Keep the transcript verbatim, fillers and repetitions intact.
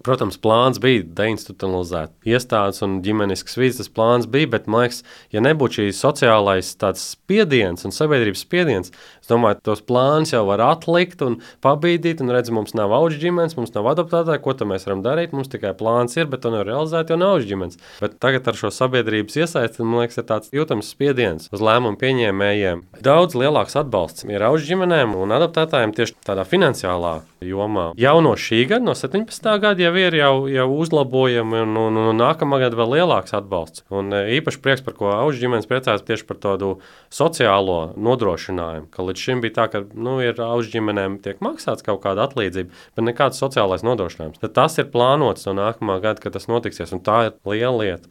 Protams, plāns bija deinstitucionalizēt iestādes un ģimeniskas vīdes, tas plāns bija, bet, man liekas, ja nebūtu šī sociālais tāds spiediens un sabiedrības spiediens, es domāju, tos plāns jau var atlikt un pabīdīt, un redz, mums nav auģu ģimenes, mums nav adoptētāji, ko tad mēs varam darīt, mums tikai plāns ir, bet to nevar realizēt, jo nav auģu ģimenes. Bet tagad ar šo sabiedrības iesaisti, man liekas, ir tāds jūtams spiediens uz lēmumu pieņēmējiem. Daudz lielāks atbalsts ir auģu ģimenēm un adoptētājiem tieši tādā finansiālā jomā. Jau no šī gada, no septiņpadsmitā gada jau ir jau, jau uzlabojumi un, un, un nākamā gada vēl lielāks atbalsts. Un īpaši prieks, par ko auģu ģimenes priecājas tieši par tādu sociālo nodrošinājumu, ka līdz šim bija tā, ka nu, ir auģu ģimenēm tiek maksāts kaut kāda atlīdzība, bet nekāds sociālais nodrošinājums. Tad tas ir plānots no nākamā gada, ka tas notiksies, un tā ir liela lieta.